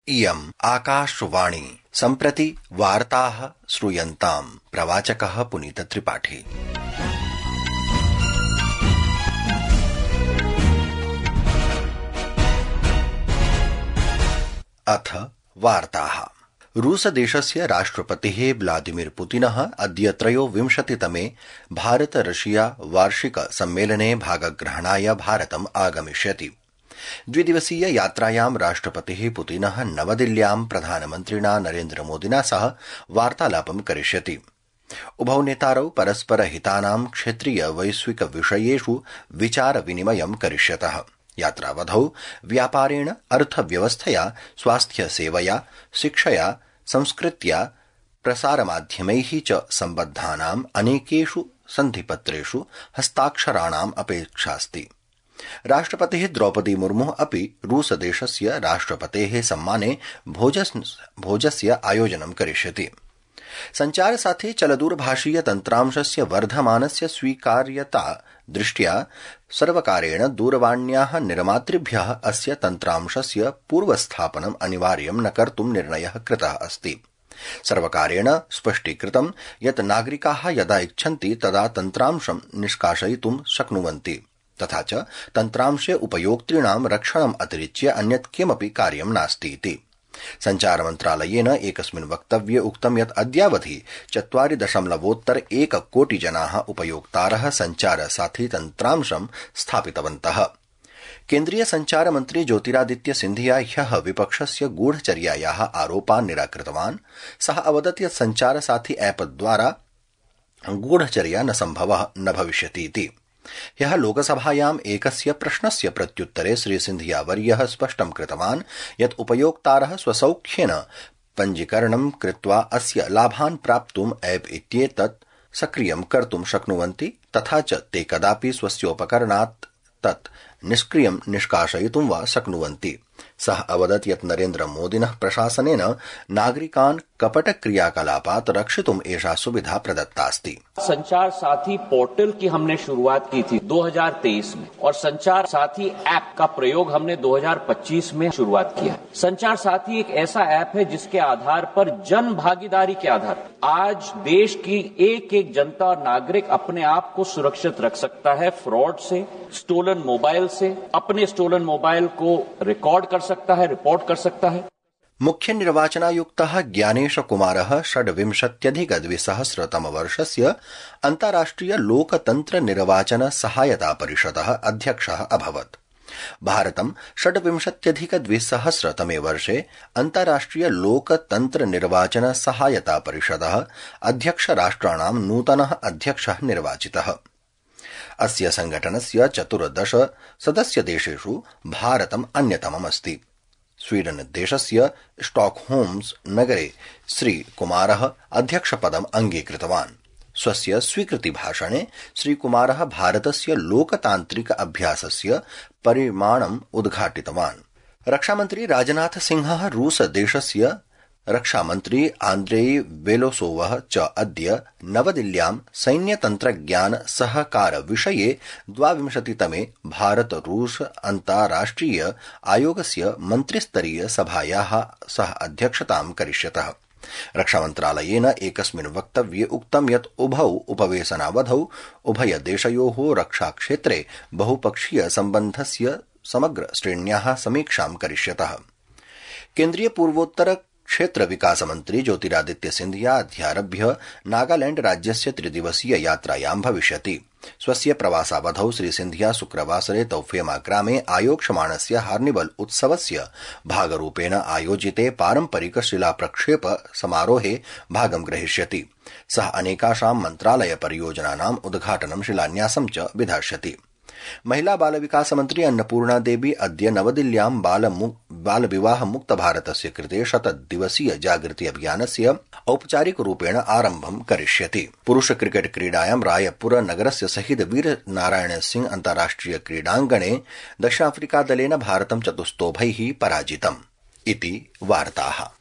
इयम् आकाशवाणी सम्प्रति वार्ताः श्रूयन्ताम्। प्रवाचकः पुनीत त्रिपाठी। अथ वार्ताः। रूसदेशस्य राष्ट्रपतिः व्लादिमीर पुतिनः अद्य 23तमे भारत रशिया वार्षिक सम्मेलने भागग्रहणाय भारतम् आगमिष्यति। द्विदिवसीय यात्रायां राष्ट्रपतिः पुतिनः नवदिल्ल्यां प्रधानमन्त्रिणा नरेन्द्र मोदिना सह वार्तालापं करिष्यति। उभौ नेतारौ परस्पर हितानां क्षेत्रीय वैश्विक विषयेषु विचार विनिमयं करिष्यतः। यात्रावधौ व्यापारेण, अर्थव्यवस्थया, स्वास्थ्य सेवया, शिक्षया, संस्कृत्या, प्रसारमाध्यमैः च सम्बद्धानाम् अनेकेषु सन्धिपत्रेषु हस्ताक्षराणाम् अपेक्षास्ति। राष्ट्रपतिः द्रौपदी मुर्मुः अपि रूसदेशस्य राष्ट्रपतेः सम्माने भोजस्य आयोजनं करिष्यति। सञ्चारसाथे चलदूरभाषीय तन्त्रांशस्य वर्धमानस्य स्वीकार्यता दृष्ट्या सर्वकारेण दूरवाण्याः निर्मातृभ्यः अस्य तन्त्रांशस्य पूर्वस्थापनम् अनिवार्यं न कर्तुं निर्णयः कृतः अस्ति। सर्वकारेण स्पष्टीकृतं यत् नागरिकाः यदा इच्छन्ति तदा तन्त्रांशं निष्कासयितुं शक्नुवन्ति। तथा च तन्त्रांशे उपयोक्तॄणां रक्षणम् अतिरिच्य अन्यत् किमपि कार्यं नास्ति इति। सञ्चारमन्त्रालयेन एकस्मिन् वक्तव्ये उक्तं यत् अद्यावधि 4.1 कोटि जनाः उपयोक्तारः सञ्चारसाथी तन्त्रांशं स्थापितवन्तः। केन्द्रीय सञ्चारमन्त्री ज्योतिरादित्य सिन्धिया ह्यः विपक्षस्य गूढचर्यायाः आरोपान् निराकृतवान्। सः अवदत् यत् सञ्चारसाथी ऐप् द्वारा गूढचर्या न सम्भवः न भविष्यति इति। ह्यः लोकसभायाम् एकस्य प्रश्नस्य प्रत्युत्तरे श्रीसिन्धियावर्यः स्पष्टं कृतवान् यत् उपयोक्तारः स्वसौख्येन पञ्जीकरणं कृत्वा अस्य लाभान् प्राप्तुम् ऐप् इत्येतत् सक्रियं कर्तुं शक्नुवन्ति, तथा च ते कदापि स्वस्योपकरणात् तत् निष्क्रियं निष्कासयितुं वा शक्नुवन्ति। सः अवदत् यत् नरेन्द्र मोदिनः प्रशासनेन नागरिकान् कपटक्रियाकलापात् रक्षितुम् एषा सुविधा प्रदत्तास्ति। संचार साथी पोर्टल की हमने शुरुआत की थी 2023 में और संचार साथी ऐप का प्रयोग हमने 2025 में शुरुआत किया। संचार साथी एक ऐसा ऐप है जिसके आधार पर जन भागीदारी के आधार पर आज देश की एक जनता और नागरिक अपने आप को सुरक्षित रख सकता है फ्रॉड से, स्टोलन मोबाइल से, अपने स्टोलन मोबाइल को रिकॉर्ड कर सकता है, रिपोर्ट कर सकता है। मुख्य निर्वाचनायुक्तः ज्ञानेश कुमारः 26-2000 अन्ताराष्ट्रिय लोकतन्त्र निर्वाचन सहायता परिषदः अध्यक्षः अभवत्। भारतं 26-2000 अन्ताराष्ट्रिय लोकतन्त्र निर्वाचन सहायता परिषदः अध्यक्ष राष्ट्राणां नूतनः अध्यक्षः निर्वाचितः। अस्य संघटनस्य 14 सदस्यदेशेषु भारतम् अन्यतममस्ति। स्वीडन देशस्य स्टॉकहोम्स नगरे श्रीकुमारः अध्यक्षपदम् अंगीकृतवान्। स्वस्य स्वीकृतिभाषणे श्रीकुमारः भारतस्य लोकतान्त्रिक अभ्यासस्य परिमाणम् उद्घाटितवान्। रक्षामन्त्री राजनाथ सिंहः रूस देशस्य रक्षामन्त्री आन्द्रेई बेलोसोवः च अद्य नवदिल्ल्यां सैन्यतन्त्रज्ञान सहकार विषये 22तमे भारत रूस अन्ताराष्ट्रिय आयोगस्य मन्त्रिस्तरीय सभायाः सह अध्यक्षतां करिष्यतः। रक्षामन्त्रालयेन एकस्मिन् वक्तव्ये उक्तं यत् उभौ उपवेशनावधौ उभयदेशयोः रक्षाक्षेत्रे बहुपक्षीय सम्बन्धस्य समग्र श्रेण्याः समीक्षां करिष्यतः। केन्द्रीय पूर्वोत्तर क्षेत्र विकास मंत्री ज्योतिरादित्य सिन्धिया अद्यारभ्य नागालैंड राज्यस्य 3 यात्रायां भविष्यति। स्वस्य प्रवासावधौ श्री सिन्धिया शुक्रवासरे तौफेमा ग्रामे आयोक्ष्यमाणस्य हार्निवल उत्सवस्य भागरूपेण आयोजिते पारम्परिक शिलाप्रक्षेप समारोहे भागं ग्रहीष्यति। सः अनेकाषां मन्त्रालय परियोजनानाम् उद्घाटनं शिलान्यासं च विधास्यति। महिला बाल विकास मंत्री अन्नपूर्णा देवी अद्य नवदिल्ल्यां बाल विवाह मुक्त भारतस्य कृते 100 दिवसीय जागृति अभियानस्य औपचारिक रूपेण आरम्भं करिष्यति। पुरुष क्रिकेट क्रीडायां रायपुर नगरस्य शहीद वीर नारायण सिंह अन्ताराष्ट्रिय क्रीडाङ्गणे दक्षिणाफ्रिका दलेन भारतं 4-0 पराजितम्। इति वार्ताः।